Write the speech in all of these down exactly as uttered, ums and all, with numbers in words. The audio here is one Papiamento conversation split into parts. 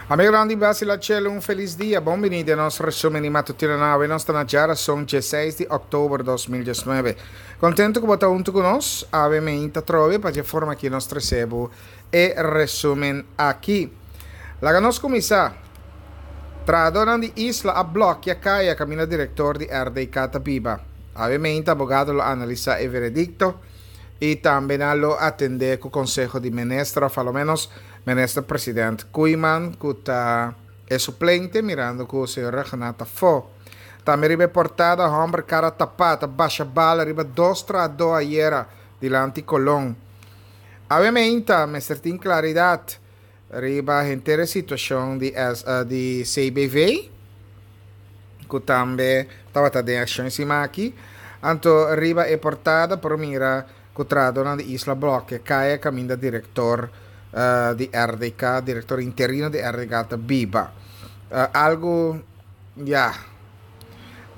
Amigonan di Basila Chelo, un felis dia. Bon bini den nos resumen di matutino awe. Nos ta na djarason diesseis di òktober dos mil diesnuebe. Kontentu ku bo ta huntu ku nos awe meinta atrobe pa dje forma ki nos trese bo e resumen aki. Laga nos kuminsá. Trahadónan di Isla a blòkia kaya kaminda direktor di R D K ta biba. Awe meinta abogado lo analisá e veredikto i tambe nan lo atendé ku konseho di minister òf alomenos Minister President Koeiman ku ta e suplente mirando ku señor Rhuggenaath ta afó. Tambe riba e portada, hòmber kara tapá ta basha bala riba dos trahadó ayera dilanti Colon. Awe meinta mester tin klaridat riba henter e situashon di di C B V ku tambe tabata den akshon siman aki. Anto riba e portada por mira ku trahadónan di Isla blòkia kaya kaminda direktor di R D K, direktor interino di R D K ta biba. Algu ya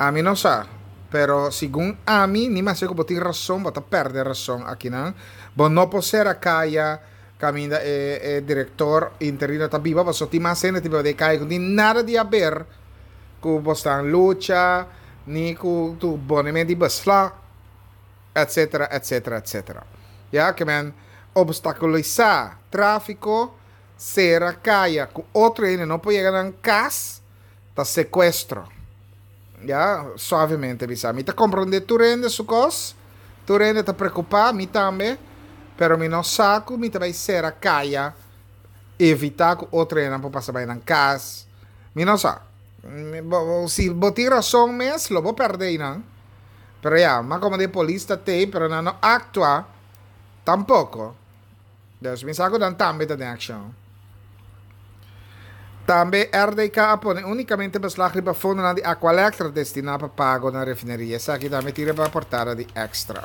ami no sa, pero segun ami, ni maske ku bo tin rason, bo ta pèrdè rason akinan. Bo no por sera kaya kaminda e e direktor interino ta biba, pasobra tin mas hende ta biba den e kaya ku no tin nada di haber ku bo stan lucha, ni ku tu bonemen di beslag, etcetera, etcetera, etcetera. Ya ke men obstakulisá tráfiko, sera kaya ku otro hende no por yega nan kas, ta sekuestro. Ya, suavemente bisa. Mi ta komprondé tur hende su kos, tur hende ta preokupá, mi tambe, pero mi no sa ku mi ta bai sera kaya, evitá ku otro hende por pasa bai nan kas. Mi no sa. Si bo tin rason mes, lo bo pèrdè einan. Pero ya, mas komo di polis ta tei, pero nan no aktua tampoko. Dus mi sa ku nan tambe ta den akshon. Tambe R D K a pone únikamente beslag riba fondonan di Aqualectra destiná pa pago na refineria. Esaki tambe tin riba portada di Extra.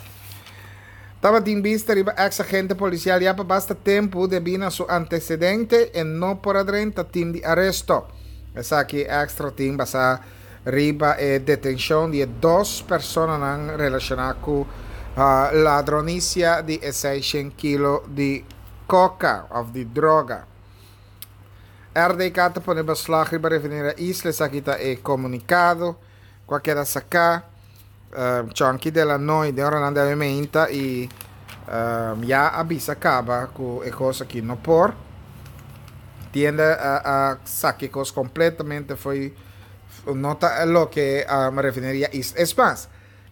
Tabatin bista riba eks agente polisial ya pa basta tempu debí na su antesedente e no por a drenta tim di aresto. Esaki Extra tin basá riba e detenshon di e dos personanan relashoná ku ladronisia di e seishent kilo di koka òf di droga. R D K ta pone beslag riba refineria Isla, esaki ta e komunikado ku a keda saká. Chonky de la Noy den oranan di awe meinta i ya a bisa kaba ku e kos aki no por. Tienda a a saka e kos kompletamente fo'i no ta loke refineria Isla. Es mas,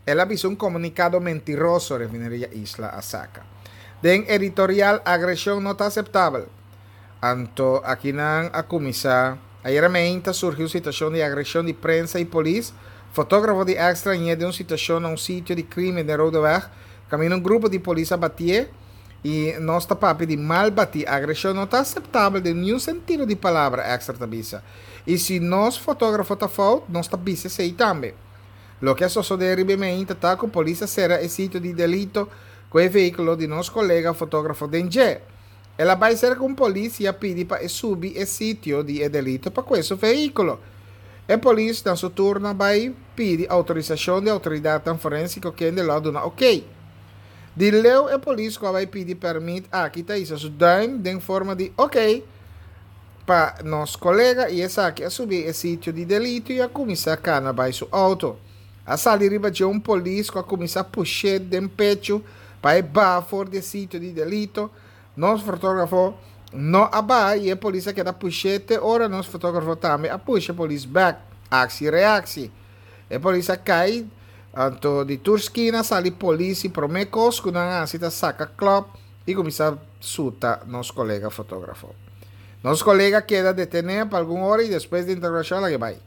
el a bisa un komunikado mentiroso refineria Isla a saka. Den editorial, agreshon no ta aseptabel. Anto akinan a kuminsá. Ayera meinta surgi un situashon di agreshon di prensa i polis. Fotógrafo di Extra a ñe den un situashon na un sitio di krímen den Rodeweg kaminda un grupo di polis a batié i nos ta papia di mal batí. Agreshon no ta aseptabel den niun sentido di palabra, Extra ta bisa. I si nos fotógrafo ta fout, nos ta bisa esei tambe. Loke a sosodé riba e meinta ta ku polis a sera e sitio di delito ku e vehíkulo di nos kolega fotógrafo den dje. El a bai serka un polis i a pidi pa e subi e sitio di e delito pa kue su vehíkulo. E polis na su turno a bai pidi outorisashon di outoridatnan forensiko kende lo a duna okey. Di leu e polis ku a bai pidi pèrmit aki ta hisa su duim den forma di okey pa nos kolega i esaki a subi e sitio di delito i a kuminsá kana bai su outo. A sali riba dje un polis ku a kuminsá push'é den pechu pa e baha for di e sitio di delito. Nos fotografo no a baha i e polis a keda push'é te ora nos fotografo tambe a pusha e polis bèk. Aksi reaksi. E polis a kai, anto di tur skina a sali polis i promé kos ku nan a hasi ta saka klòp i kuminsá suta nos kolega fotografo. Nos kolega a keda detené pa algun ora i despues di interogashon a laga e bai.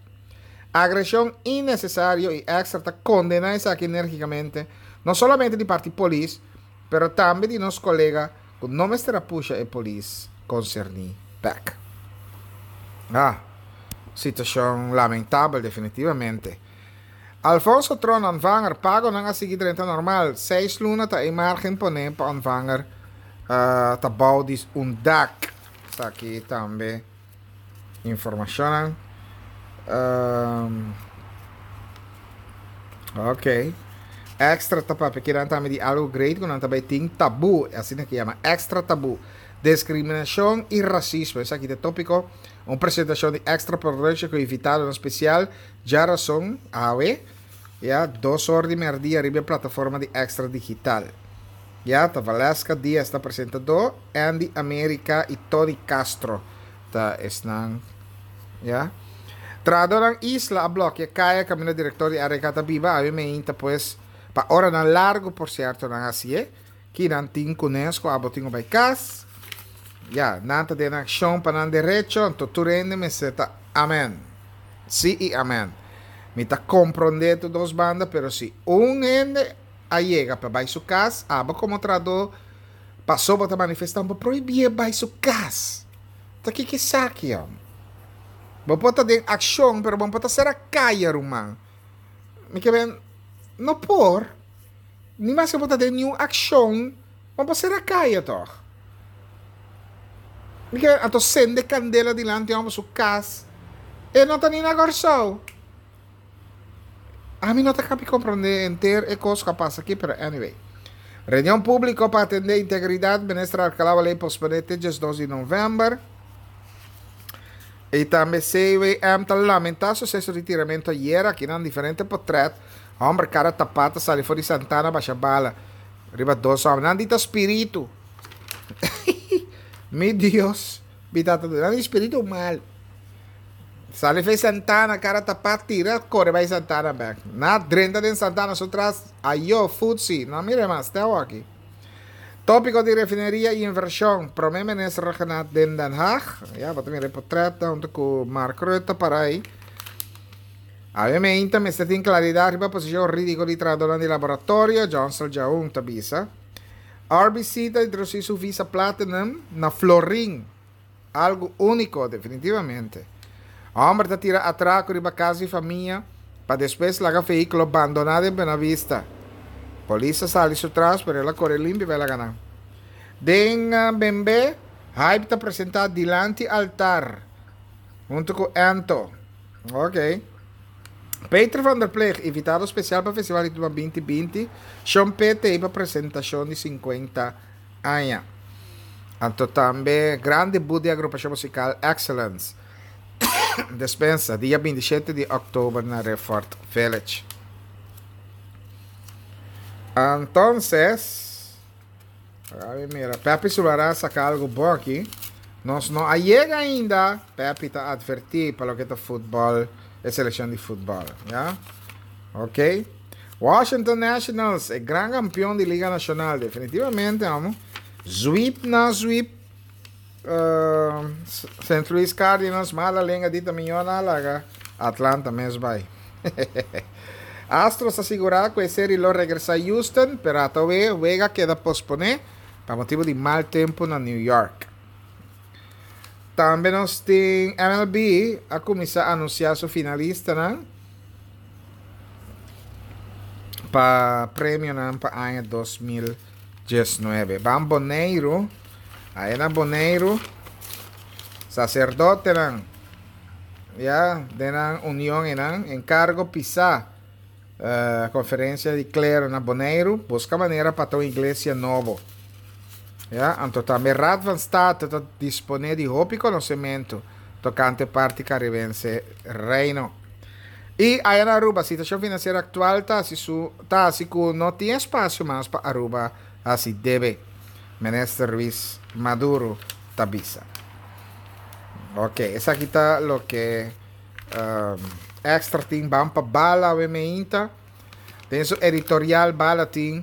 Agreshon innesesario i Extra ta kondená esaki enérgikamente, no solamente di parti polis, pero tambe di nos kolega ku no mester a pusha e polis konserní bèk. Ah, situashon lamentabel definitivamente. Alfonso Tron ontvanger, pagonan a sigui drenta normal, seis luna ta e margen poné pa ontvanger ta bou di un dak. Esaki tambe informashonnan. Um, ok. Extra ta papia kinan tambe di algo great ku nan ta bai tin tabu, asina ke yama Extra Tabu. Discriminacion y racismo, esaki ta e topico. Un presentacion di Extra Production cu invitadonan special, djarason, awe, ya, dos or di merdia riba e plataforma di Extra Digital. Ya, ta Valeska Diaz ta presentador, Andy America y Tony Castro ta esnan, ya. Trahadornan Isla a blòkia kaya kaminda direktor di R K ta biba, awe meinta pues pa oranan largu por sierto nan hasié, ki nan tin kunes ku abo tin ku bai kas, ya, nan ta den akshon pa nan derecho, anto tur hende mester ta amen, si i amen. Mi ta komprondé tur dos banda, pero si un hende a yega pa bai su kas, abo komo trahadó pasobra bo ta manifestá, bo prohibié bai su kas. Ta kiko esaki, hòm? Bo por ta den akshon, pero bo no por ta sera kaya, ruman. Mi ke ben, no por. Ni maske bo ta den niun akshon, bo no por sera kaya tòg. Mi ke ben, anto sende kandela dilanti hòmber su kas, e no ta ni na Kòrsou. Ami no ta kapi komprondé henter e kos ku a pasa aki, pero anyway. Reunion públiko pa atendé integridat, Minister Alcalá Waley posponé te diesdos di novèmber. I tambe C W M ta lamentá suseso di tiramentu ayera, akinan diferente potrèt, hòmber kara tapá ta sali for di Santana basha bala riba dos hòmber. Nan di ta spiritu. Mi Dios, mi tata, nan di spiritu malu. Sali fei Santana, kara tapá, tira, kore bai Santana bèk. Na drenta den Santana su tras, ayo, futsi, no mira mas, te awoki. Tópiko di refineria i invershon, Promé Minister Rhuggenaath den Den Haag. Ya, bo ta mira e potrèt huntu ku Mark Rutte para ei. Awe meinta mester tin klaridat riba posishon hurídiko di trahadónan di laboratorio, Johnson Djaun ta bisa. R B C ta introdusí su Visa Platinum na Florin. Algu úniko, definitivamente. Hòmber ta tira atrako riba kas di famia pa despues laga vehíkulo bandoná den Buenavista. Polis a sali su tras, pero el a kore limpi pa e laga nan. Den Bembe, Hype ta presentá dilanti altar huntu ku Ento. Ok. Peter van der Ploeg, invitado spesial pa Festival di Tuma binti binti, Shon P T pa presentashon di sinkuenta aña. Anto tambe gran debut di agrupashon musikal Excellence. Despensa, dia bintishete di òktober na Riffort Village. Entonces, a mira, Pepi Sulara a saca algo bon aki. Nos no a yega ainda. Pepi ta adverti pa loke ta futbol, e seleccion di futbol, ya? Ok. Washington Nationals, e gran campeon di Liga Nacional, definitivamente, amo. Sweep na sweep. Uh, Saint Louis Cardinals, mala lenga dita miñona laga. Atlanta mes bai. Astros asegura ku e serie lo regresa Houston, pero atowe wega queda pospone pa motibo di mal tempo na New York. Tambe nos tin M L B a kuminsá anunsiá su finalistanan pa premionan pa aña dos mil diesnuebe. Ban Boneiru, ahí na Boneiru, sacerdotenan, ya, den nan union enan, encargo pisá, eh, conferencia di clero na Boneiru, busca manera pa ta un iglesia nobo. Ya, anto tambe Raad van State ta dispone di hopi conocimento tocante parti caribense Reino. Y allá na Aruba, situación financiera actual ta así su, ta así cu no tiene espacio mas pa Aruba así debe. Minister Ruiz Maduro tabisa. Ok, esa aquí ta lo que, um, Extra tin ban pa Bala we meinta. Den su editorial Bala tin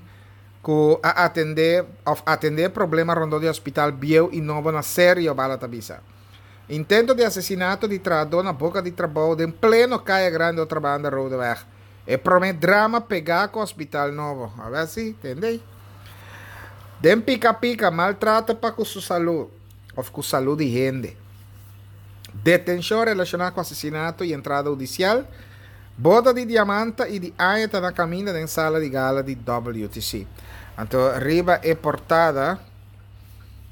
ku a atende of atende problema rondo di hospital bieu y nobo na serio Bala tabisa. Intento di asesinato di trahador na boca di trabou den pleno Kaya Grande otra banda Rodeweg. E prome drama pega ku hospital nobo. A ver si, tendei. Den pica pica, maltrato pa ku su salud, of ku salud di hende. Detención relacionada con asesinato y entrada judicial. Boda di diamanta y di aña ta na camino den sala di gala di W T C. Anto riba e portada,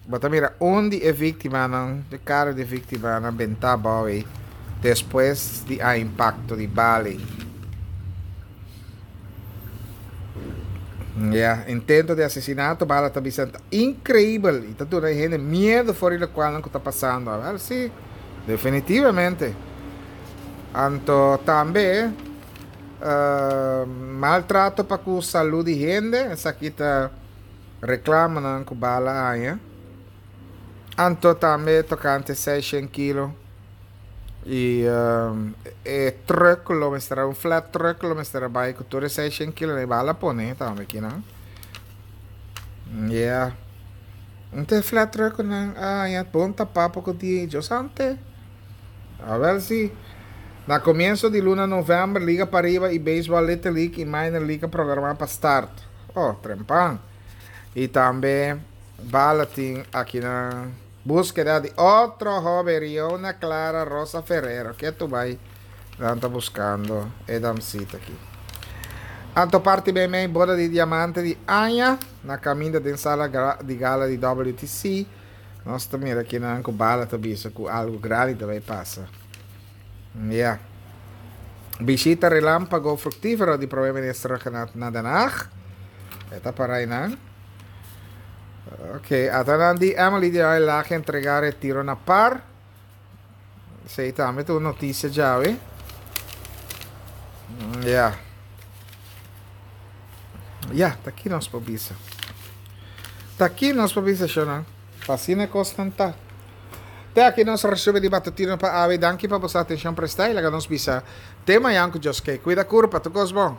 bota mira, un di e víctima nan, de cara de víctima nan benta boy, después di a impacto di Bali. Ya, intento di asesinato, bala ta bisa increibel y ta duna hende miedo for di locual cu ta pasando. Wel, si, definitivamente. Anto tambe uh, maltrato pa cu salud di hende, esaki ta reclamo cu bala a haya. Anto tambe tocante seishent kilo y um, e truck lo mester un flat truck lo mester bay cu tur seishent kilo y bala pone tambe aki, no? Yeah. Un flat truck nan ah ya ponta papo cu di Dios ante. A ver si na comienso di luna november Liga Pariba y Baseball Little League y Minor League programa pa start. Oh, trempan. Y tambe bala tin aki na búsqueda di otro hoben, Riona Clara Rosa Ferrero. Cu tur bay ta buscando e damsita aki. Anto parti bin boda di diamante di aña na caminda di sala di gala di W T C. Nos tambe aki na bala ta bisa cu algo grandi ta bay pasa. Yeah. Bishita relampago fructifero di Prome Minister na Den Haag. E ta para ey. Ok, ata di Emily di Laag entrega retiro na par. Esey tambe tin noticia ya, eh? Yeah. Yeah, ta aki nos por bisa. Ta aki nos por bisa, Shona. Asina cos ta. Te aki nos resumen di matutino pa awe. Danki pa bo atencion presta y laga nos bisa. Te mañan cu Dios kier. Cuida curpa, tur cos bon.